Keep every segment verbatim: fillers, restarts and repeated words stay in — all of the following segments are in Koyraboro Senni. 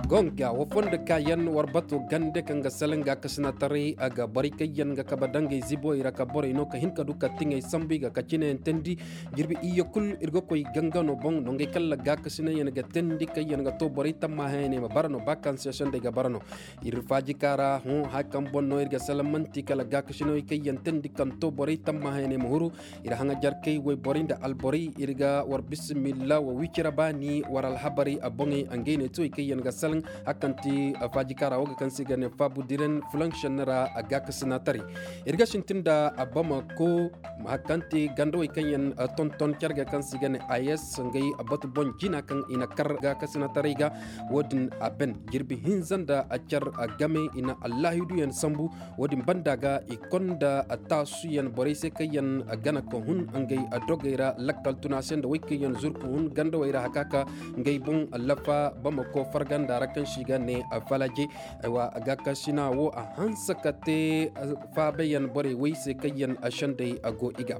Gonga wa fondo kaayaŋ war bato gande kaŋ ga salaŋ gaakasinataray a ga borey kaŋ yaŋ ga kabe dangey ziboy ra ka borey no ka hin ka du ka tiŋey sambu i ga ka cinayaŋ teendi. Jirbi iyye kul ir ga koy gangano boŋ nongey kala gaakasinay yaŋ ga teendi kaŋ yaŋ ga to borey tammahayaney ma bara no ba kaŋ se sendey ga bara no. Ir faajika ra hõ haya kaŋ boŋ no ir ga salaŋ man'ti kala gaakasinay kaŋ yaŋ teendi kaŋ to borey tammahayaney ma huru. Ir haŋajarkey woyborey nda alborey ir ga war bisimilla wa wicira baani war alhabarey a boŋey ngey ne tuwey kaŋ yaŋ ga salaŋ. Hakanti faajikaara wo ga kaŋ se i ga ne faabudiren fulaŋ šenni ra. Gaakasinataray ir ga sintin nda bamako hakanti gandawey kaŋ yaŋ tonton care ga kaŋ se i ga ne ayes ngey batu boŋ jina kaŋ i na kar gaakasinataray ga. Wo-din a ben jirbi hinza nda car game i na allaahiduyaŋ sambu. Wo-din banda ga i konda taasuyaŋ borey se kaŋ yaŋ gana ka hun ngey dogey ra lakkal tuna se nda wey kaŋ yaŋ zurku hun gandawey ra haka ka ngey boŋ lafa bamako farganda ra kaŋ se i ga ne falaje. Aywa gaakasina wo a hanse ka te faabayaŋ borey wey se kaŋ yaŋ sendey go i ga.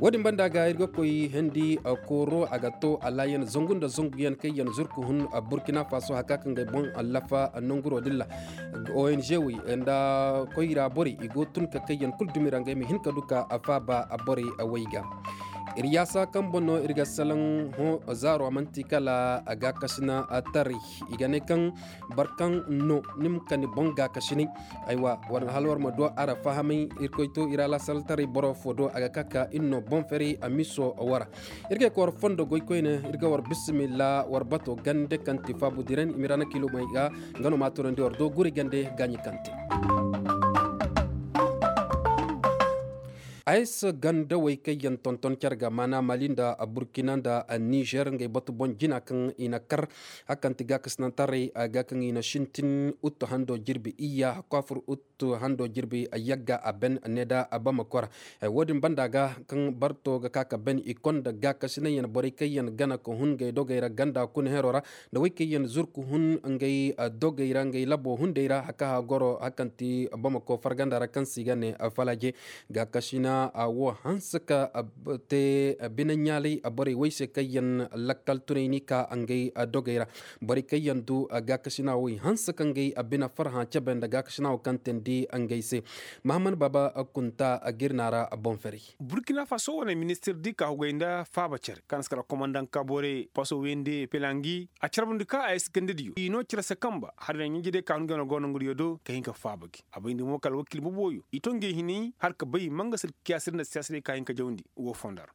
Wo-din banda ga ir ga koy hendi kooro a ga to alaayan zangu nda zanguyaŋ kaŋ yaŋ zurku hun burkina faso haka ka ngey boŋ lafa nanguro din ra. Ong wey nda koyra borey i go tun ka kayyaŋ kul dumi ra ngey ma hin ka du ka faaba borey wey ga. Ir yaasa kaŋ boŋ no ir ga salaŋ hõ zaaro a man'ti kala gaakasina taray. I ga ne kaŋ boro kaŋ no ni ma ka ni boŋ gaakasinay. Aywa hala war ma du a ra fahamay irkoy to ir alasaltaray boro fo do a ga ka ka ir no boŋ ferey a miso wara. Ir ga ay ka war fondo goy koyne ir ga war bisimilla war bato gande kaŋ ti faabu diren i ma ir a na kiilumey ga. Nga no ma a tunandi war do guri gande gaaɲi kaŋ te. Ayes gandawey kaŋ yaŋ tonton care ga maana mali nda burkina nda nizer ngey batu boŋ jina kaŋ i na kar. Hakanti gaakasinantaray a ga kaŋ i na sintin uttu hando jirbi iyya hakku a fur uttu hando jirbi yagga a ben ne da a bama kora. Wo-din banda ga kaŋ barto ga ka ka ben i konda gaakasinayyaŋ borey kaŋ yaŋ gana ka hun ngey dogey ra ganda kuna hero ra. Nda wey kaŋ yaŋ zurku hun ngey dogey ra ngey labo hunday ra haka ha goro hakanti bamako farganda ra kaŋ se i ga ne falaje. Gaakasina wo hanse ka te bine ɲaalay borey wey se kaŋ yaŋ lakkal tunay ni ka ngey dogey ra. Borey kaŋ yaŋ du gaakasina wo i hanse ka ngey bine farhã cebe nda gaakasina wo kaŋ teendi ngey se. Mahammad baaba kunta ga ir naara boŋ ferey. Burkina faso wane ministir di ka hugay nda faaba cere kaŋ a si kala komandaŋ kabore paso wende pelangi a carbundi ka a ye si gandediyo i no cere se kamba hala ɲanjediyo ka hun gano go nanguriyo do ka hin ka faaba gi. A bayndi mo kala wakiil boboyo i to ngey hinay har ka bay manga sir kiyaasir nda siyaasirey ka hin ka jawndi wo fondar.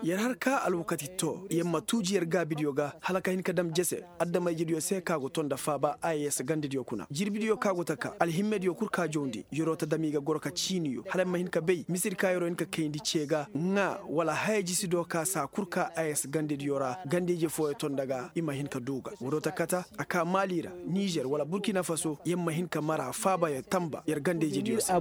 Yer har ka alwakati to yer ma tuuji yer gaabidiyo ga hala ka hin ka dam jese. Adama-ijediyo se ka go to nda faaba a yer se gandediyo kuna jirbidiyo ka go taka alhimmediyo kul ka jawndi yer'o ta dam i ga goro ka ciiniyo hala yer ma hin ka bay misedi ka yer'o hin ka kayndi ce ga ŋaa wala haya jisido ka saa kul ka a yer se gandediyo ra ganda-ije fooyo to nda ga i ma hin ka du ga woodoo ta kata a ka maali ra nizer wala burkina faso yer ma hin ka mara faaba yer tamba yer ganda-ijediyo se.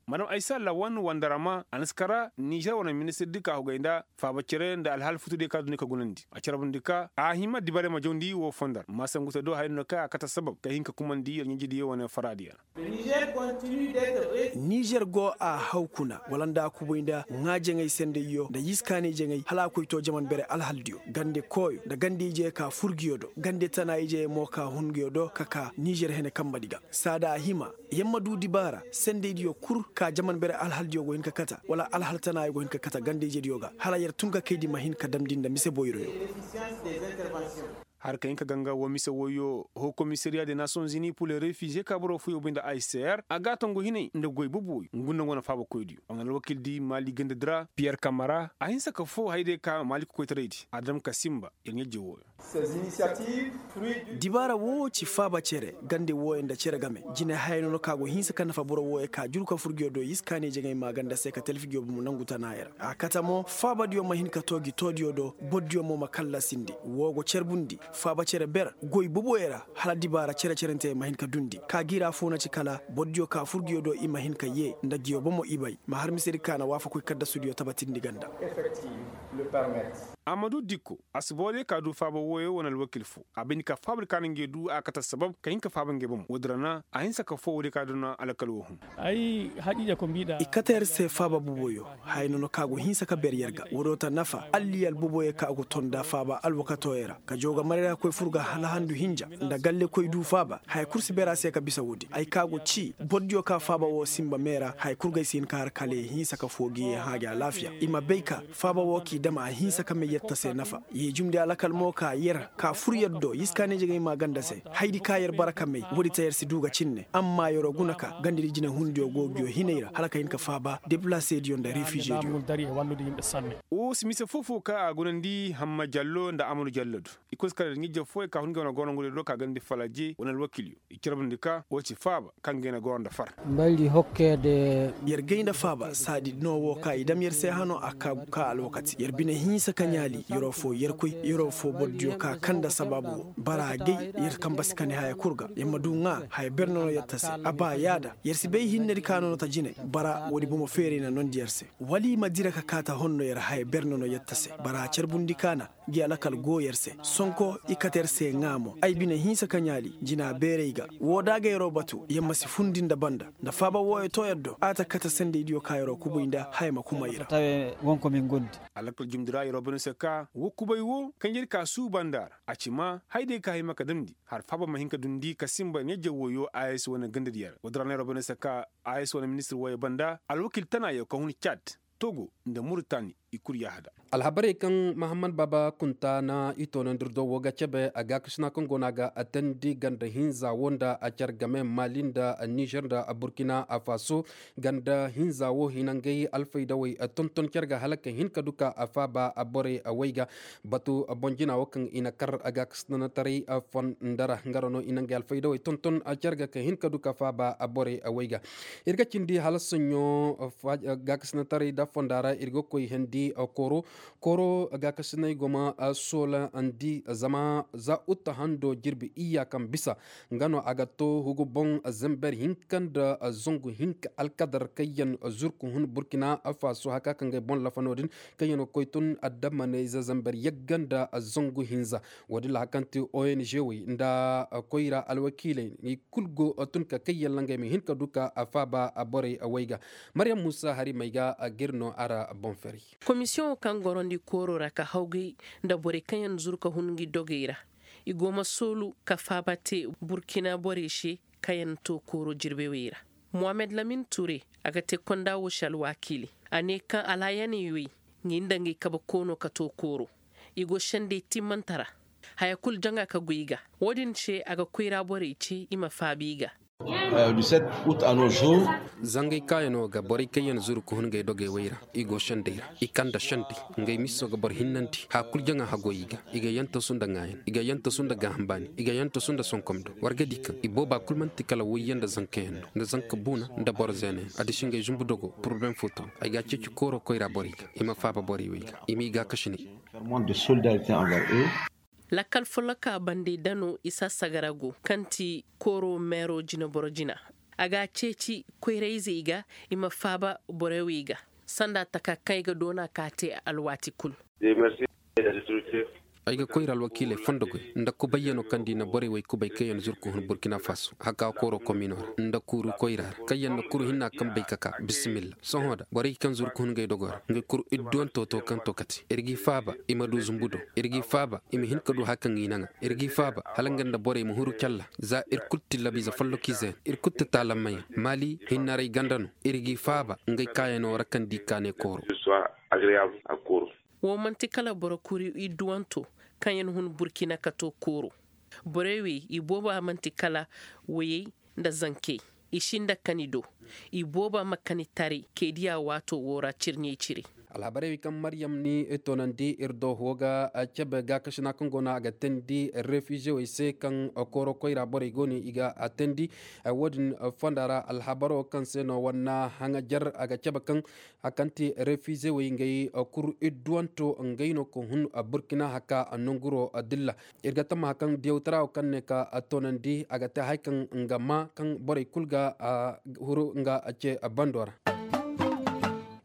Madam aysa lawan wandarama a na si kara nizer wane ministirdi ka hugay nda faaba cere nda alhaal futudiyo ka duni ka gunandi a carbundi ka a hima dibarey ma jawndi woo fondar maasangute do haya no ka a kate sabab ka hin ka kumandi yer ɲanjidiyo wane faraadiyo ra. Nizer go a haw kuna wala nda a kubay nda ŋaa jaŋay sendayyo nda yiskaanay jaŋay hala a koy too jaman bere alhaldiyo gande kooyo nda gande-ije ka fur nguyo do gande tana-ije mo ka hun nguyo do ka kaa nizer hene kambadi ga saada a hima yer ma duu dibaara sendaydiyo kul ka jaman bere alhaldiyo go hin ka kata wala alhal tanaayo go hin ka kata ganda-ijediyo ga hala yer tun ka kayndi ma hin ka damndi nda mise boyroyo. Har ka hin ka ganga woo mise woyyo hoo komisariya de nations unis pur le refize ka boro fooyo bay nda a c r a ga a tongu hinay nda goy boboyo ngu nda ngu wane faabakoydiyo a wane alwakiildi maali gandadi ra piyer kamara a hinsa ka foo hayadiyo ka maali kokoytaraydi a dam ka sinba yer ɲa-ije wooyo. Dibaara woo ci faaba cere gande wooyo nda cere game jine haya no no ka go hinsa ka nafa boro wooyo ka juru ka fur nguyo do yiskaanay jaŋay maaganda se ka talfi nguyo bomo nangu tanaaya ra a kate mo faabadiyo ma hin ka too gi toodiyo do bordiyo mo ma kallasindi woo go carbundi faaba cere ber goy boboyo ra hala dibaara cere-cerenteyey ma hin ka dundi ka giira foo na ci kala bordiyo ka fur nguyo do i ma hin ka yee nda nguyo bomo i bay ma har misedi ka na waafakoy kaddasudiyo tabatindi ganda. Amadu dikko, a si boro diya ka du faaba wooyo wane alwakil fo. A bay ni ka faaba di ka na ngey du a kate assabab ka hin ka faaba ngey bomo woodin ra na a hinsa ka foo woodiyo ka duna alkal woo hun. I kate yer se faaba boboyo. Haya nono ka go hinsa ka beer yer ga woodiyo ta nafa alliyal boboyo ka go ton nda faaba alwakatooyo ra ka jaw ga marayra koy fur ga hala handu hinja, nda galle koy du faaba haya kul si beer a se ka bisa woodi ay ka go cii boro diyo ka faaba woo sinba mee ra haya kul ga ay si hin ka har kala ye hinsa ka foo gi ye hãa gi alaafiya i ma bay ka faaba woo k'i dam a hinsa ka may yer ta se nafa. Ye jumndi alakal mo ka yer ka fur yer do yiskaaney jegey maa ganda se. Haydi ka yer bara ka may woodi ta yer si du ga cinne amma yeroo guna ka gandadi jinehundiyo go nguyo hinay ra hala ka hin ka faaba deplaseediyo nda refiizediyo. Woo si mise foo-foo ka a gunandi hamma jallo nda amadu jallo do. I kul si kala da ɲijje fooyey ka hun ngey wane gorongudiyo do ka gandi falaje wane alwakilyo i carbundi ka woo ci faaba kaŋ ga i na goro nda far. Yer gay nda faaba saadi no woo ka i dam yer se hano a ka gu ka alwakati yer bine hinsa ka ɲaali yeroo foo yerkoy yeroo foo borodiyo ka kaŋ nda sabaabu woo bara gay yer kamba si kani haya kul ga yer ma du ŋaa haya berne no yer ta se a ba yaada yer si bay hinnedi ka no no ta jine. Bara woodi bomo feeray na nondi yer se wala i ma dira ka kaa ta honno yer haya berne no yer ta se bara carbundi kaana. Ngi alakal go yer se sonko i kate yer se ŋaa mo ay bine hinsa ka ɲaali jina beerey ga. Woo da a ga yeroo batu yer ma si fundi nda banda nda faaba wooyo too yer do a ta kate sendeydiyo ka yeroo kubay nda haya ma kuma i ra. Alakal jumndi ra yeroo bane se ka woo kubay woo kaŋ yer ka suuba nda a ra a ci maa hayday ka hima ka damndi har faaba ma hin ka dundi ka sinba ɲajje wooyo a s wane gandadi yer woodi ra no yeroo bane se ka a s wane ministir wooyo banda alwakil tanaayo ka hun caad, togo, nda muritaani. I kul yaahada. Alhabarey kaŋ mahammad baaba kunta na i toonandir do woo ga cebe a gaakasina kaŋ go no a ga atandi ganda hinza woo nda a care game maali nda nizer nda burkina faso. Ganda hinza woo hina ngey alfaydawey tonton care ga hala ka hin ka du ka a faaba borey wey ga. Batu boŋ jina woo kaŋ i na kar a gaakasinataray fonda ra nga ra no i na ngey alfaydawey tonton care ga ka hin ka du ka faaba borey wey ga. Ir ga cindi hala soɲõ gaakasinataray da fonda ra ir ga koy hendi kooro. Kooro gaakasinay go ma soolandi zama za utta hando jirbi iyya kaŋ bisa nga no a ga to hugu boŋ zember hinka nda zangu hinka alkadar kaŋ yaŋ zurku hun burkina faso haka kaŋ ga ay boŋ lafa no- din kaŋ yaŋ ga koy tun adammaney za zember yagga nda zangu hinza. Wo- din ra haka kaŋ ti ong wey nda koyra alwakiiley i kul go tun ka kay yalla ngey ma hin ka du ka faaba borey wey ga. Maryam muusa hari may ga ga ir no a ra boŋ ferey. Komisiyoŋo kaŋ gorandi kooro ra ka hawgay nda borey kaŋ yaŋ zuru ka hun ngi dogey ra. I go ma soolu ka faaba te burkina borey se kaŋ yaŋ to kooro jirbey wey ra. Mohamed lamin ture, a ga te konda wo se alwakiili. A ne kaŋ alaayaney wey ngi nda ngi kabe koono ka to kooro. I go sendey timmante ra. Haya kul jaŋa ka goy i ga. Wo- din se a ga koyra borey ce i ma faabi i ga. Zangay kaayano ga borey kaŋ yaŋ zuru ka hun ngey dogey wey ra. I go sendey ra i kande sendey. Ngey miso ga boro hinnandi haya kul jaŋa hagoy i ga. I ga yantasu nda ŋaayan i ga yantasu nda gaaham baani i ga yantasu nda sonkomdo war ga di kaŋ i booba kul man'ti kala woyyaŋ nda zankayaŋ no nda zanka buuna nda boro zeenayaŋ a disi ngey zumbu dogo poroblem fo to. Ay ga a ceeci kooro koyra borey ga i ma faaba borey wey ga i m'i gaakasinay. Lakkal folloka bande dano isa sagarago kaŋ ti kooro meero jineboro jina. A ga a ceeci koyrayzey ga i ma faaba borey wey ga sanda taka kaŋ ay ga doona ka te alwaati kul. Ay ga koyra alwakiiley fondo goy nda kubayyanoo kaŋ nda i na borey wey kubay kaŋ yaŋ zuru ka hun burkina faso haka kooro kominoo ra nda kuuru koyra ra kaŋ yaŋ na kuru hinna kaŋ bay ka ka bisimilla sohõ da borey kaŋ zuru ka hun ngey dogoo ra ngey kuru idduwantoo to kaŋ to kate ir g'i faaba i ma du zumbu do ir g'i faaba i ma hin ka du haya kaŋ i naŋa ir g'i faaba hala nga nda borey ma huru calla. Za ir kul ti labiize follokiizeyaŋ ir kul ti taalammayaŋ maali hinnaray ganda no ir g'i faaba ngey kaayanoo ra kaŋ di kaane kooro. Wo man'ti kala boro kuri idduwanto kaŋ yaŋ hun burkina ka to kooro. Borey wey i booba man'ti kala woyey nda zankey. I si nda kani do i booba ma kani taray kay diya waato wo ra cirɲey cire. Alhabarey wey kaŋ maryam ni toonandi ir do wo ga cebe gaakasina kaŋ go no a ga teendi refiizewey se kaŋ kooro koyra borey go no i ga a teendi. Wo- din fonda ra alhabaro kaŋ se no war na haŋajar a ga cebe kaŋ haya kaŋ ti refiizewey ngey kuru idduwanto ngey no ka hun burkina haka nonguro dilla. Ir ga tamma haya kaŋ diyawtara wo kaŋ ne ka toonandi a ga te haya kaŋ nga maa kaŋ borey kul ga huru nga ce bando ra.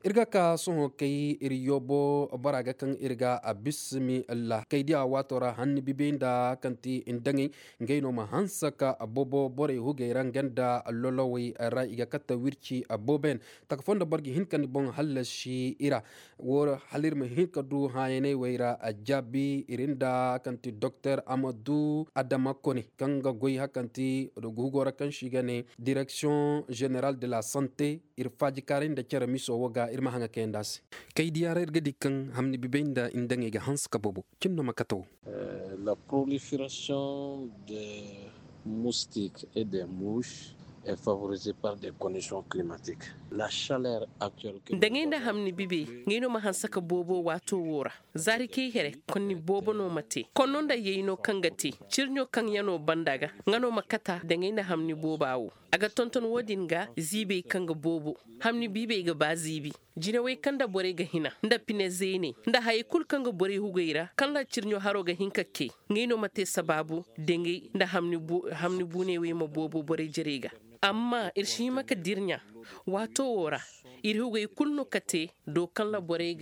Ir ga ka sohõ kay ir yoobo bora ga kaŋ ir ga a bismi allah kay diya waato ra hanni bibey nda kaŋ ti indaŋey. Ngey no ma hanse ka boobo borey hugey ra nga nda lolowey ra i ga kate wirci boobo yaŋ. Taka foo nda boro ga hin ka ni boŋ hallasi i ra. Wo hala ir ma hin ka du hãyaney wey ra a jaabi ir nda kaŋ ti doktor amadu adama kone kaŋ ga goy hakaŋ ti hugo ra kaŋ se i ga ne direksiyoŋ zeneral de la sante. Ir faajikaaray nda cere miso wo ga ir ma haŋa kayandi a se. Kay diya ra ir ga di kaŋ hamni bibey nda indaŋey ga hanse ka boobo. Cin no ma kate wo. La proliferation de moustique et de mouche est favorisée par des conditions climatiques. La chaleur actuelle. Daŋey nda hamni bibey, ngey no ma hanse ka boobo waato wo ra. Zaari kay here konni boobo no ma te konno nda yayno kaŋ ga te, cirɲo kaŋ yano banda ga nga no ma kata daŋey nda hamni booba wo. A ga tonton wo-din ga ziibey kaŋ ga boobo. Hamni biibey ga ba ziibi. Jinawey kaŋ nda borey ga hina nda pine zeeney nda hayey kulu kaŋ ga borey hugey ra kaŋ ra cirɲo haro ga hin ka kay. Ngey no ma te sabaabu daŋey nda hamni buuney wey ma boobo borey jerey ga. Amma ir si hima ka dirɲa waato wo ra. Ir hugey kulu no kate do kaŋ ra borey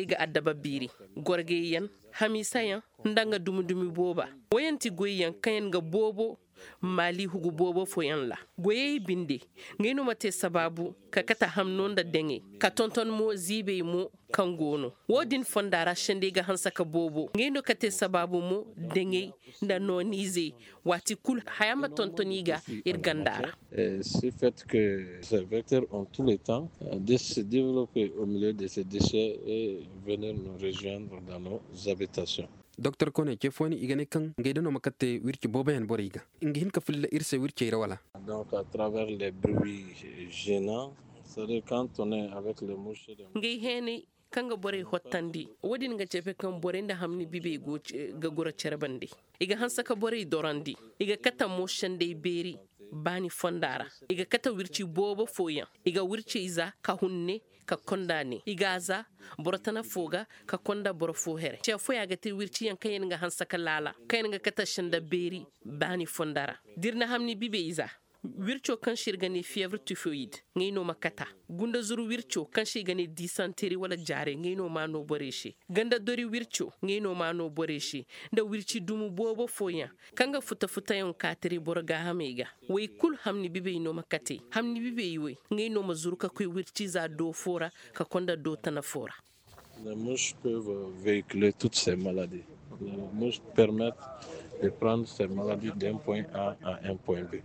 ga addaba biiri. Gorgayyaŋ, hamiisayaŋ, nda nga dumi-dumi booba. Woyaŋ ti goyyaŋ kaŋ yaŋ ga boobo maali hugu boobo fooyaŋ ra. Goyey binde, ngey no ma te sabaabu ka kate hamno nda daŋey ka tonton mo ziibey mo. Kaŋ go no wo-din fonda ra sendey ga hanse ka boobo ngey no ka te sabaabu mo. Daŋey nda nooniizey waati kulu haya ma tonton i ga. Ir ganda ra. Si fait que ces vecteurs ont tous les temps de se développer au milieu de ces déchets et venir nous rejoindre dans nos habitations. Doktor kone ce fooyaŋ i ga ne kaŋ ngey da no ma kate wirci booboyaŋ borey ga nga hin ka filla ir se wircey ra wala? Donc à travers les bruits gênants, c'est à dire quand on est avec les mouches. Ngey heenay kaŋ ga borey hottandi. Wo-din ga cefe kaŋ borey nda hamni bibey go ga goro cere bande. I ga hanse ka borey dorandi. I ga kate mo sendey beeri baani fonda ra. I ga kate wirci boobo fooyaŋ. I ga wircey za ka hunne ka konda ne i ga a za. Boro tana fo ga ka konda boro fo here ce fooyaŋ ga te wirciyaŋ kaŋ yaŋ ga hanse ka laala kaŋ yaŋ ga kate senda beeri. Baani fonda ra da ir na hamni bibey za. Wirco kaŋ se ir ga ne fievre tifoyid ngey no ma kata. Gunda zuru wirco kaŋ se ir ga ne disanteri wala jaarey ngey no ma no borey se. Ganda dori wirco ngey no ma no borey se. Nda wirci dumu boobo fooyaŋ kaŋ ga futa-futayaŋ kaatari boro gaahamey ga. Wey kulu hamni bibey no ma kate. Hamni bibey wey ngey no ma zuru ka koy wirciza do fo ra ka konda do tana fo ra. Les mouches peuvent véhiculer toutes ces maladies. Les mouches permettent de prendre ces maladies d'un point a à un point b.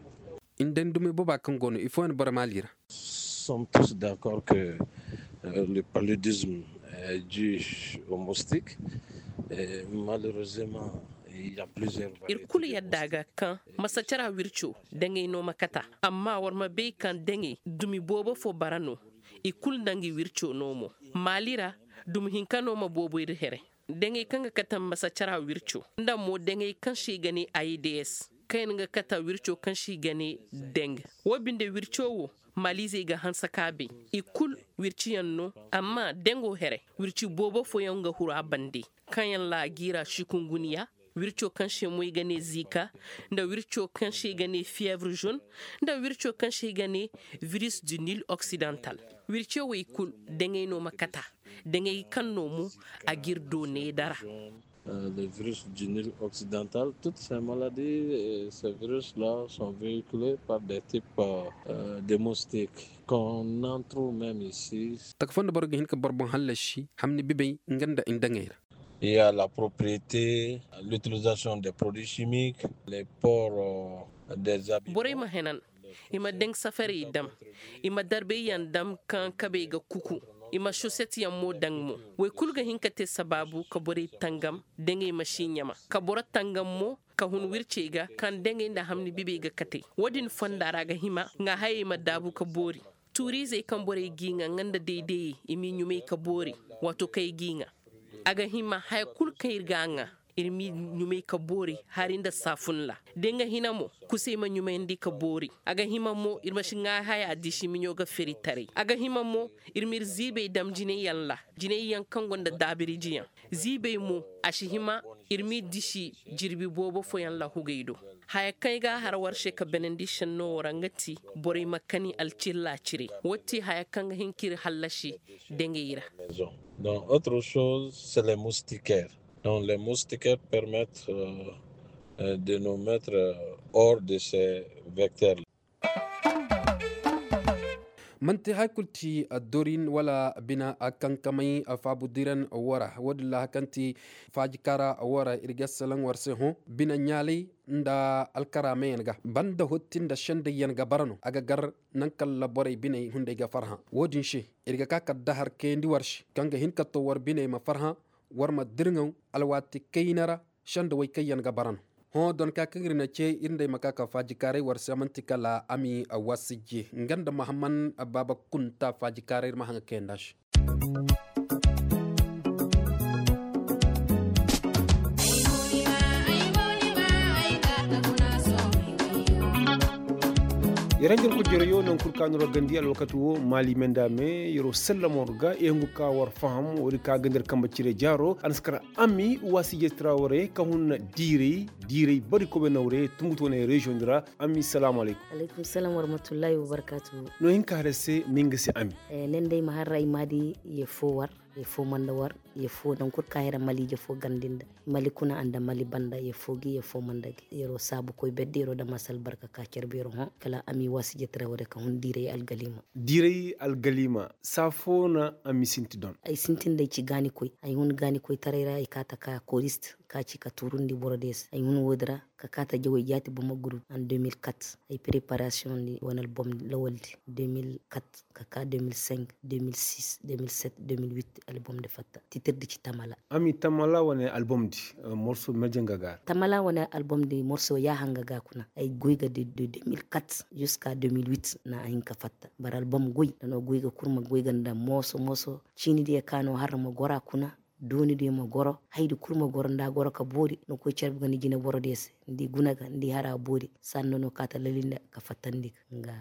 Inda ni dumey booba kaŋ go no ifooyaŋ boro maali ra? Sommes tous d'accord que le paludisme est dû au moustique. Malheureusement il y a plusieurs variétés. Ir kulu yadda ga kaŋ masacara wirco daŋey no ma kata. Amma war ma bay kaŋ daŋey dumi boobo fo bara no. I kulu nda ngi wirco no mo. Maali ra dumi hinka no ma boobo ir here. Daŋey kaŋ ga kate masacara wirco nda mo daŋey kaŋ se i ga ne aids kaŋ yaŋ ga kate wirco kaŋ se i ga ne daŋ. Wo binde wirco wo maaliizey ga hanse ka bay. I kulu wirciyaŋ no. Amma daŋo here wirci boobo fooyaŋ ga huru a bande. Kaŋ yaŋ ra a giira sikunguniya wirco kaŋ se mo i ga ne ziika nda wirco kaŋ se i ga ne fievre zone nda wirco kaŋ se i ga ne virus du nil occidental. Wirco wey kulu daŋey no ma kata. Daŋey kaŋ no mo a g'ir do needara. Le virus du nil occidental toutes ces maladies ces virus la sont véhiculés par des types de moustiques qu'on en trouve même ici. Taka foo nda boro ga hin ka boro boŋ hallasi hamni bibey nga nda indaŋey ra. Il y a la propriété, l'utilisation des produits chimiques, les ports des habitants. Borey ma henan. I ma daŋ safarey dam. I ma darbey yaŋ dam kaŋ kabey ga kuku. I ma soset yaŋ mo daŋ mo. Wey kulu ga hin ka te sabaabu ka borey tangam daŋey ma si ɲama ka boro tangam mo ka hun wircey ga kaŋ daŋey nda hamni bibey ga katey. Wo-din fonda ra a ga hima ŋaahayey ma daabu ka boori. Tuuriizey kaŋ borey g'i ŋa nga nda daydayey i m'i ɲumay ka boori. Waato kaŋ ay g'i ŋa a ga hima haya kulu kaŋ ir g'a ŋa ir m'i ɲumay ka boori hari nda saafun ra. Da nga hina mo kusey ma ɲumayandi ka boori. A ga hima mo ir ma si ŋaahaya disi miɲo ga feri taray a ga hima mo ir m'ir ziibey dam jinay yaŋ ra. Jinay yaŋ kaŋ gonda daabirijiyaŋ ziibey mo a si hima ir m'i disi jirbi boobo fooyaŋ ra hugey do. Haya kaŋ ay ga a har war se ka benandi senno wo ra nga ti borey ma kani alcilla cire. Wo ti haya kaŋ ga hin ka ir hallasi dangey ra. Donc autre chose c'est les moustiquaires. Donc les moustiquaires permettent de nous mettre hors de ces vecteurs. Man'ti hari kulu ti dorin wala bina kankamay faabu diran wara wo-din ra hari kaŋ ti faajikaara wara ir ga salaŋ war se hõ bina ɲaalay nda alkaraamayaŋ ga banda hotti nda sendayyaŋ ga bara no a ga gar naŋ kala borey biney hunday ga farhã. Wo-din se ir ga ka ka dahar kayandi war se kaŋ ga hin ka to war biney ma farhã war ma dirŋaw alwaati kayna ra. Sendawey kaŋ yaŋ ga bara no hõ donka kaŋ ir na ce ir nd'ey ma ka ka faajikaaray war se man'ti kala ami wasije nga nda mahamman baaba kunta faajikaaray ir ma haŋ ga kayandi a se. Yer hanjar kujjarayo naŋ kul ka no ra gandi alwakati wo maali menda me yer'o sallamo ga i hungu ka war faham woodi ka gandi ra kambe cire jaaro a na si kar ami waasije trawre ka hun diiray diiray bari kobe nawre tungutu wane reziyoŋ di ra. Ami salaamu alaykum. Alaykum salaam warahmatullahi wabarkaatu. No hin ka har ay se ma hin ga se ami. Ne nda ay ma har ra ay ma di ye foo war ye foo man nda war ye foo naŋ kul ka hira maliije foo gandi nda mali kuna nda mali banda ye foo gi ye foo man nda gi yer'o saabu koy bedde yer'o dam a si albarka ka car beero hõ kala ami waasije trawre ka hun diiray algalima. Diiray algalima saa foo na ami sinti don. Ay sintin nda ay ci gaanikoy ay hun gaanikoytaray ra ay kaata ka korist ka ci ka tuurundi boro diya se ay hun woodi ra ka kaata jawey jaati boma gurup en deux mille quatre. Ay preparasiyoŋ di wane albom lawaldi deux mille quatre ka ka deux mille cinq deux mille six deux mille sept deux mille huit albom di fatta titir di ci tamala. Ami tamala wane albom di morso meje nga ga ra. Tamala wane albom di morso yaaha nga ga kuna ay goy ga di deux mille quatre jusqu'à deux mille huit na a hin ka fatta bara albom goy nda no goy ga kul ma goy ga nda mooso mooso ciini diya ka no har ma goro a kuna. Dooni diyo ma goro haydi kul ma goro nda a goro ka boori ni koy carbi ga ni jineboro diyo se ni di guna ga ni di hara boori. Sanno no kaata lali nda ka fattandi ga nga.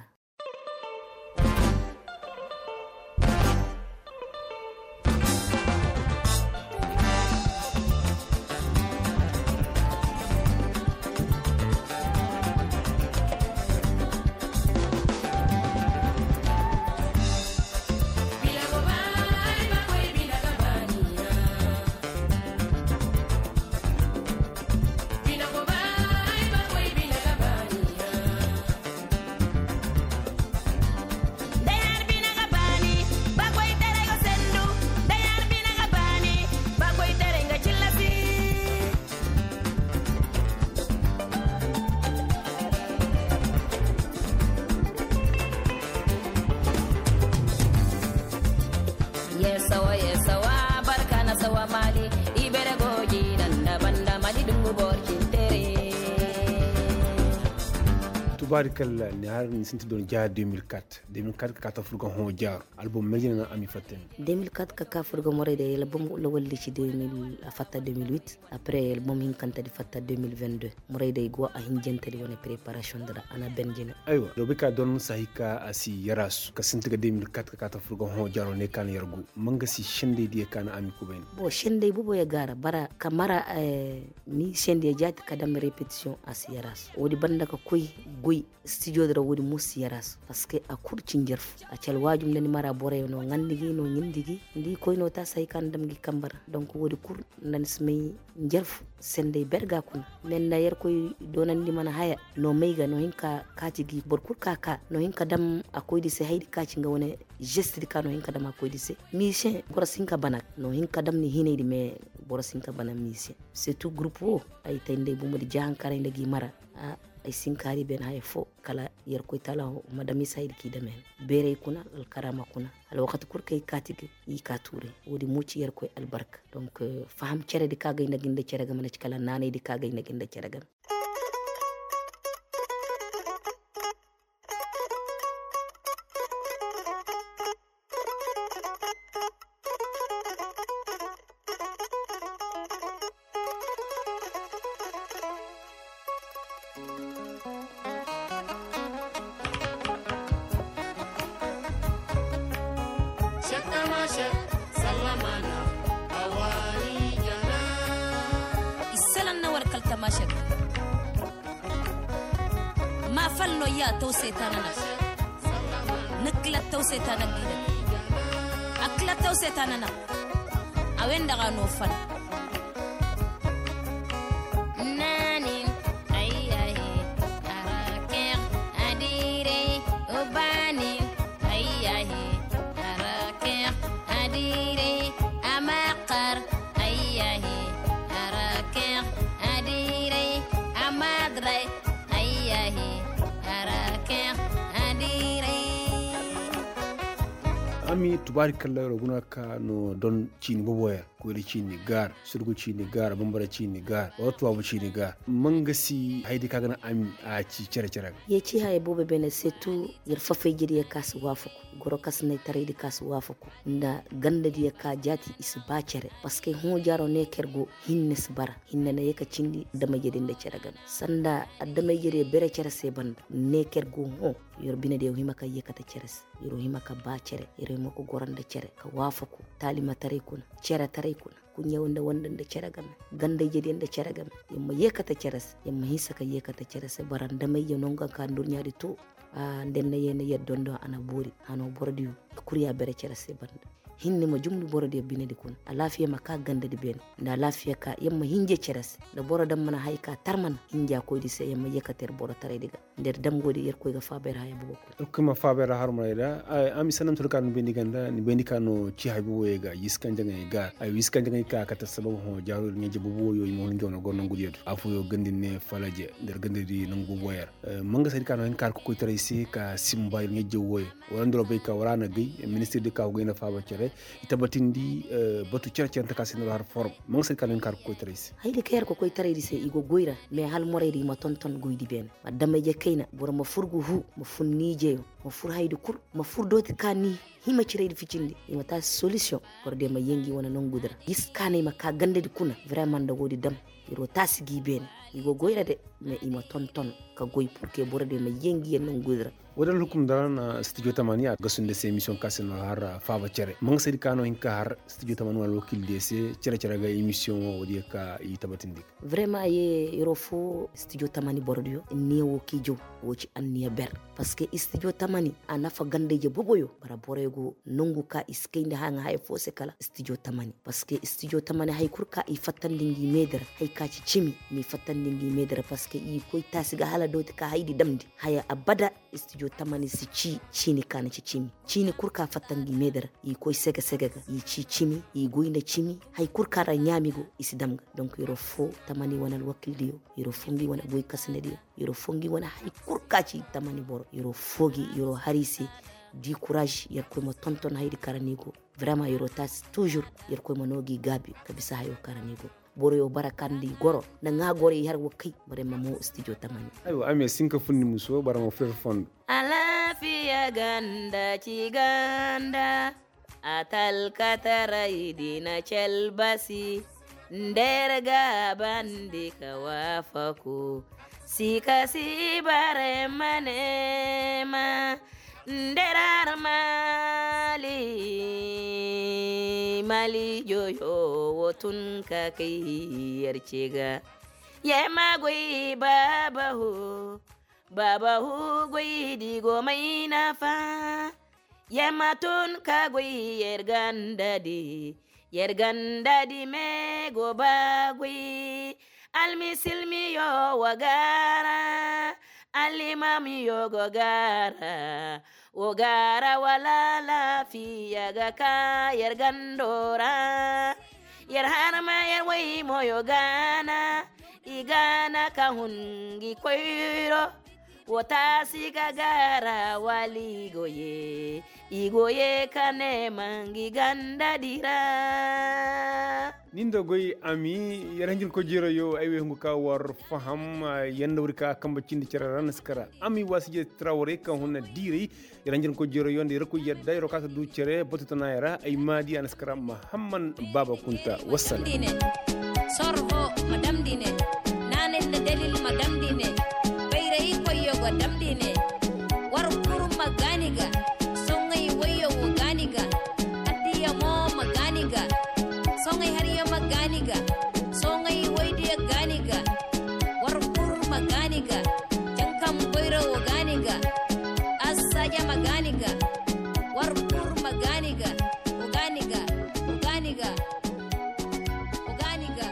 Yeesawa yeesawa barka na sawa maali. Ibere gooji nanda banda mali dungu borcintere. Tubaarikalla ni har ni sinti don ja deux mille quatre deux mille quatre ka ka furga hõ jaaro. Album mejina na ami fattani. Deux mille quatre ka ka furga moray da album lawalli ci deux mille a fatta deux mille huit. Après album hinkantadi fatta deux mille vingt-deux. Murayday go a hinjantadi wane preparation dira a na ben jina. Aywa dobi ka don sahi ka a si yaraasu ka sinti ga deux mille quatre ka kaata furga hõ jaaro ne ka na yar go. Manga si sendey diya ka na ami kubayni. Bon sendey bobo ya gaara bara ka mara. Ni sendey jaati ka dam repetition a si yaraasu woodi banda ka koy goy. Studio dira woodi mo si yaraasu. Parce que a kul ci njarfu a ci alwaajum nda ni mara boroyo no ŋandi gi no ɲindi gi. Nda i koy no taasi hay ka na dam gi kambe ra donc woodi kul nda ni si may njarfu. Sendey ber ga kuna me nda yerkoy doonandi mana haya. No may ga no hin ka kaati gi boro kul ka ka no hin ka dam a koydi se haydi ka ci nga wane. Žestidi ka no hin ka dam a koydi se. Misiyeŋ boro si hin ka bana no hin ka dam ni hinaydi me. Boro si hin ka bana misiyeŋ. Surtout gurupu wo ay tay nda ay bumbo di jahankaray nda gi mara. Ay si hin ka hari ben haya foo kala yerkoy taala ho ma dam i se haydi ka i dam hen. Beeray kuna alkaraama kuna. Alwakati kul kaŋ i kaati ga i ka tuuray. Woodi mo ci yerkoy albarka. Donc faham ceredi ka ga ay nda gi nda cere game na ci kala naanaydi ka ga ay nda gi nda cere game. Issalan na war kaltama shek. A fal no ya taw se ta nana. Ni kila taw se ta nana. A kila taw se ta nana. A wenda ga no fal. Naanin, ayyahi, arakeŋ, adiray, ubanin, ayyahi, arakeŋ, adiray, amakar, ayyahi, arakeŋ, adiray, amadray, ayyahi, arakeŋ, adiray. Ami tubaari kalla ro guna ka no don ciini bobo ya. Koyra ciini gaara, surgu ciini gaara, bambara ciini gaara, wala tuwaabu ciini gaara. Mangasi haydi ka ga na ami a ci cere-cere ga. Ye ci haya boobo beene se tu. Yer fafayjediyo ka si waafaku, goro kasinay taraydi ka si waafaku, nda gandadiyo ka jaati i si ba cere. Parceque hõ jaaro ne kaŋ yer go, hinne si bara. Hinne na ye ka cindi adamay-jediyo nda cere game, sanda adamay-jediyo bere cere se banda. Ne kaŋ yer go hõ, yer binediyo hima ka yeekate cere se. Yer hima ka ba cere, yer hima ka goro nda cere, ka waafaku, taalimataray kuna, ceretaray kuna, kuɲɲaw nda wanda nda cere game, gandayjediyo nda cere game. Yer ma yeekate cere se, yer ma hinsa ka yeekate cere se, bara nda may ya no nga ka ndurɲaadi to. Nda yer na yee na yer dondon a na boori. Hano borodiyo kul ya bere cere se banda. Hinne ma jumndi borodiyo binedi kuna, alaafiya ma ka gandadi beene. Nda alaafiya ka yer ma hinja cere se, nda boro daŋ mana hay ka tarmana hinja koydi se, yer ma yeekate yer borotaraydi ga. Nda yer damgoodi yerkoy ga faaba yer haya boobo kuna. Yerkoy ma faaba yer harumray ra. Ami sanda ma turu ka ni bayndi ganda ni bayndi ka no ci hay boobo ye ga yiskanjaŋey ga ay yiskanjaŋey ka kate sabab hõ jaaro yer ɲaje boobo woyo i ma hun jaw na goro nangudiyo do afooyo gandi ne falaje nda yer gandadi nangu boobo yer. Manga saydi ka no hin ka har ka koytaray se ka simba yer ɲaje woyo. Wala nda ro bay ka wala a na gay ministirdi ka go gay nda faaba cere i tabatindi batu cere-cere nta ka se nda ro har forom. Manga saydi ka no hin ka har ka koytaray se. Haydi ka har ka koytaraydi se i go goy ra. Mais hala moraydi i ma tonton goydi beene. Adamay-je kayna boro ma fur ga huu, ma fur ni ijeyo, ma fur haydi kul, ma fur dooti ka ni hima ciraydi ficindi. I ma taasi solisiyoŋ. Borodiyo ma yee ngi wane nongudi ra. Giskaanay ma ka gandadi kuna. Vraiment nda woodi dam, yer wo taasi gi beene. I go goy ra de. Mais i ma tonton ka goy purke borodiyo ma yee ngi wane nongudi ra. Woodi alhukum da ra na stijo tamani a gasu nda se emisiyoŋ ka se no har faaba cere ma nga saydi ka no hin ka har stijo tamani wala wakiildiyo se cere-cere ga emisiyoŋ wo woodiyo ka i tabatindi ga. Vraiment a ye yeroo foo stijo tamani borodiyo, niya woo k'i jaw. Woo ci anniya ber. Parceque stijo tamani a nafa ganda-ije boboyo bara boroyo go nongu ka i si kay nda haŋa haya foo se kala stijo tamani. Parceque stijo tamani hay kul ka i fattandi ngi meedi ra hay ka ci cimi, n'i fattandi ngi meedi ra parceque i koy taasi ga hala dooti ka haydi damndi haya abada. Stijo tamani si cii ciini ka na ci cimi. Ciini kul ka fatta ngi meedi ra i koy sege-sege ga i cii cimi i goy nda cimi. Hay kul ka ra ɲaami go i si dam ga. Donc yeroo foo tamani wane alwakildiyo, yeroo foo ngi wane goykasinadiyo, yeroo foo ngi wane hay kul ka ci tamani boro yeroo foo gi yeroo har i se. Di kuraaz yerkoy ma tonton haydi ka ra ni go. Vraiment yeroo taasi tuuzur. Yerkoy ma noo gi gaabi ka bisa hayo ka ra ni go. Boroyo bara kandi goro nda ŋaa goro i har wa kay. Bare ma moo stijo tamani. Aywa ami ya sinka funni muso bara ma fur fondo. Alaafiya ganda ci ganda. Atalkataray di na calbasi. Nda yer gaabandi ka waafaku. Sika si bare ma neema. Nderar mali mali joyo wo tun ka kay yer ce ga. Yer ma goy baabahu baabahu goy di go may nafa. Yer ma tun ka goy yer ganda di. Yer ganda di me go ba goy. Almisilmiyo wa gaara. Alimamiyo go gaara. Wo gaara wala laafiya ga ka yer gando ra. Yer harma yer waymoyo gaana. I gaana ka hun ngi koyro. Wo taasi ga gaara wala i go ye. I go ye ka neema ngi ganda di ra. Ni nda goy ami. Yer hanjin ko jeero yo ay wey hungu ka war faham. Yanda wuri ka kamba cindi cere ra na si kara ami waasi je trawre ka hunna diiray. Yer hanjin ko jeero yo nda yer ko yadda yer ka ta du cere batu tana yara ay maadi a na si kara mahamman baaba kunta. Wassalam. Sorho ma damndi ne. Naanay nda dalil ma damndi ne. Bayray koyyo go damndi ne. War kul ma gaani ga. Soŋay wayyo wo gaani ga. Addiya mo ma gaani ga. Soŋay hariyo ma gaani ga. Soŋay waydiyo gaani ga. War kul ma gaani ga. Jankaŋ boyro wo War kur ma gaani ga, wa gaani ga, wa gaani ga, wa gaani ga.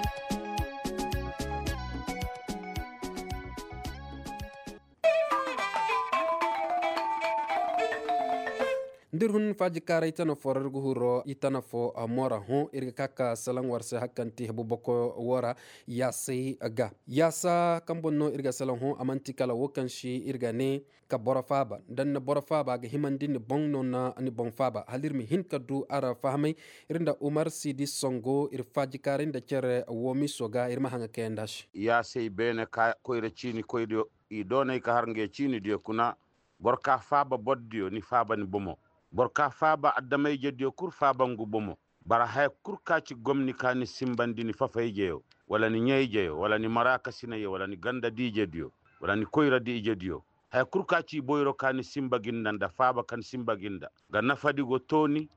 Nda ir hun faajikaaray tana fo ra ir ga huru i tana fo mora hõ ir ga ka ka salaŋ war se hari kaŋ ti hebu boko wo ra. Yaasay ga yaasa kaŋ boŋ no ir ga salaŋ hõ a man'ti kala wo kaŋ si ir ga ne ka boro faaba nda ni na boro faaba a ga himandi ni boŋ no na ni boŋ faaba hala ir ma hin ka du a ra fahamay. Ir nda umar siidi songo ir faajikaaray nda cere woomiso ga ir ma haŋa kayandi a se. Yaasay beene ka koyra ciini koydiyo i doonay ka har ngey ciinidiyo kuna. Boro ka faaba bordiyo ni faaba ni bomo. Boro ka faaba adama-ijediyo kul faaba ngu bomo. Bara haya kul ka ci gomni ka ni simbandi ni fafa-ijeyo, wala ni ɲaa-ijeyo wala ni maraakasinayyo wala ni ganda-di-ijediyo, wala ni koyra-di-ijediyo. Haya kul ka ci boyro ka ni simba gi nda nda faaba kaŋ simba gi nda, nga nafadi go tooni.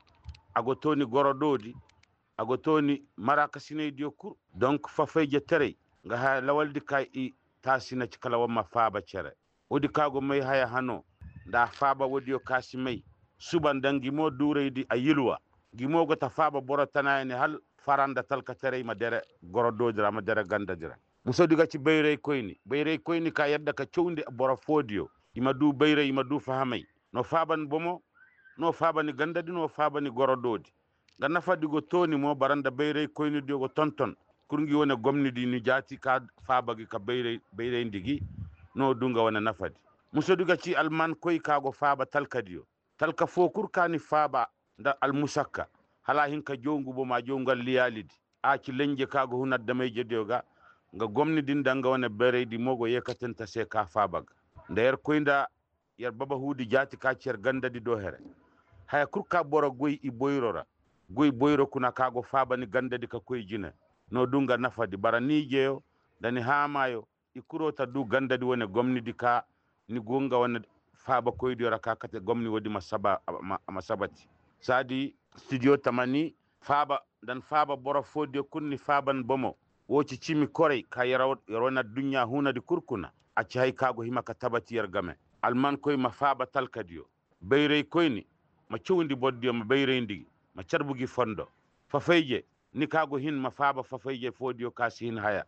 A go tooni gorodoodi. A go tooni maraakasinaydiyo kul. Donk fafa-ijetaray nga haya lawaldi ka i taasi na ci kala war ma faaba cere. Woodi ka go may haya hano nda a faaba woodiyo ka si may. Suba nda ngi mo duuraydi a yilwa. Ngi mo go ta faaba boro tanaayani hal fara nda talkataray ma dere gorodoodi ra ma dere gandadi ra. Musodi ga ci bayraykoyni bayraykoyni ka yadda ka cawndi boro foodiyo. I ma du bayray i ma du fahamay. No faaba ni bomo. No faaba ni gandadi no faaba ni gorodoodi. Nga nafadi go tooni mo bara nda bayraykoynidiyo go tonton. Kul ngi wane gomnidi ni jaati ka faaba gi ka bayrayndi gi. No du nga wane nafadi. Musodi ga ci almankoy ka go faaba talkadiyo. Talka foo kul ka ni faaba nda almusakka hala a hin ka jaw ngu bomo a jaw ngu alliyaalidi. A ci lenje ka go hun adama-ijediyo ga. Nga gomnidi nda nga wane bayraydi mo go yeekatante se ka faaba ga. Nda yer koy nda yer babahuudi jaati ka ci yer gandadi do here. Haya kul ka boro goy i boyro ra. Goy boyro kuna ka go faaba ni gandadi ka koy jine. No du nga nafadi bara ni ijeyo nda ni haamaayo. I kul wo ta du gandadi wane gomnidi ka ni go nga wane faabakoydiyo ra ka kate gomni woodi ma sabati. Saadi studio tamani faaba nda ni faaba boro foodiyo kul ni faaba ni bomo. Wo ci cimi koray ka yer wane adduɲɲa hunadi kul kuna. A ci hay ka go hima ka tabati yer game. Almankoy ma faaba talkadiyo. Bayraykoyni ma cawndi bordiyo ma bayrayndi gi ma carbu gi fondo. Fafayje ni ka go hin ma faaba fafayje foodiyo ka si hin haya.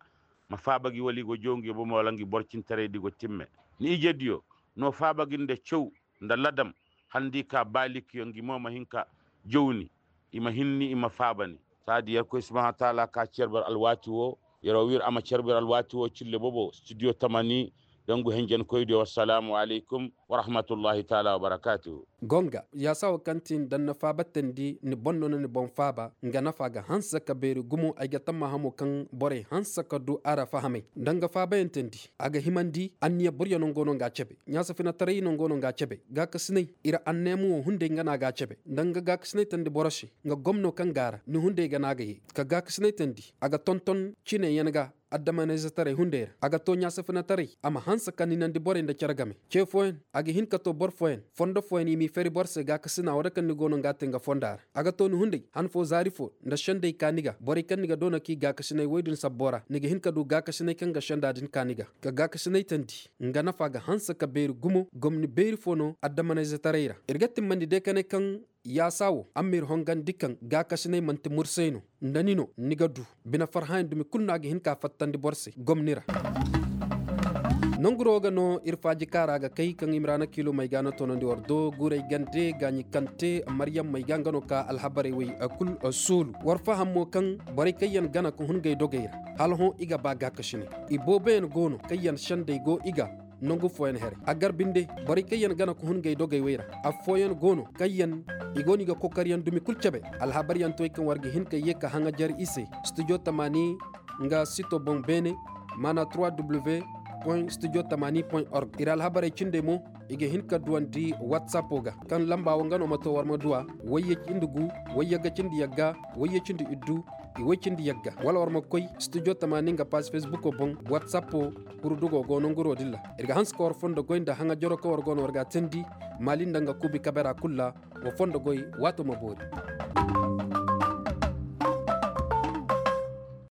Ma faaba gi wala i go jaw ngi bomo wala ngi borcintaraydi go timme. Ni ijediyo no faaba gi nda caw nda ladam. Hala nda i ka baalikiyo ngi mo ma hin ka jaw ni. I ma hin ni i ma faaba ni. Saadi yerkoy subahanahu wataala ka cerbir alwaati woo. Yeroo wir a ma cerbir alwaati woo cille bobo studio tamani. Dangu henjenkoydiyo wassalaamu alaykum warahmatullahi taala wabarakaatuhu. Gonga yaasa woo kaŋ ti nda ni na faabatandi ni boŋ no na ni boŋ faaba. Nga nafa ga hanse ka beeri gumo ay ga tammaha mo kaŋ borey hanse ka du a ra fahamay. Nda nga faabayantandi a ga himandi anniya boryo no nga no nga a cebe. Ɲaasa finataray no nga no nga a cebe. Gaakasinay ir anneema woo hunday nga no a ga a cebe nda nga gaakasinay tandi boro se. Nga gomno kaŋ ga a ra ni hunday ga no a ga ye ka gaakasinay tandi a ga tonton cineyaŋ ga. Addamanayzetaray hunday ra a ga too ɲaasa finataray a ma hanse ka ninandi borey nda cere game. Ce fooyaŋ a ga hin ka too boro fooyaŋ fondo fooyaŋ i m'i fari boro se gaakasina woo da kaŋ ni go no nga a te nga fonda ra. A ga too ni hunday han foo zaari foo nda sendey ka ni ga borey kaŋ ni ga doona k'i gaakasinay woy din sabbo ra ni ga hin ka du gaakasinay kaŋ ga senda din ka ni ga. Ka gaakasinay tandi nga nafa ga hanse ka beeri gumo gomni beeri foo no addamanayzetaray ra. Ir ga timmandi day ka ne kaŋ yaasa woo a m'ir hongandi kaŋ gaakasinay man'ti mursay no. Nda ni no ni ga du bine farhayaŋ dumi kul no a ga hin ka fattandi boro se gomni ra. Nanguroo ga no ir faaji kaara ga kay kaŋ i ma ra na kiilomey ga na toonandi war do guuray gande gaaɲi kante maryammey ga nga no ka alhabarey wey kul soolu war faham mo kaŋ borey kaŋ yaŋ gana ka hun gay dogey ra. Hala hõ i ga ba gaakasinay ibooboyaŋ go no kaŋ yaŋ sendey go i ga. Nangu fooyaŋ here a gar binde borey kaŋ yaŋ gana ka hun gay dogey wey ra. Affooyaŋ go no kaŋ yaŋ i go no i ga kokariyaŋ dumi kul cebe. Alhabaryaŋ toy kaŋ war ga hin ka ye ka haŋajer i se studio tamaani nga sito boŋ beene maana trois w point studio tamaani point org ir alhabarey cindey mo. I ga hin ka duwandi watsappo ga kaŋ lamba wo nga no ma to war ma duwa wayye cindi gu wayye ga cindi yagga wayye cindi iddu. I woy cindi yagga wala war ma koy studio tamaani nga paas fesbuko boŋ watsappo. Kurdugo go nanguroo din ra ir ga hanse ka war fondo goy nda haŋajaro kaŋ war go no war ga a teendi maali nda nga kuubi kabera kul ra. Wa fondo goy waato ma boori.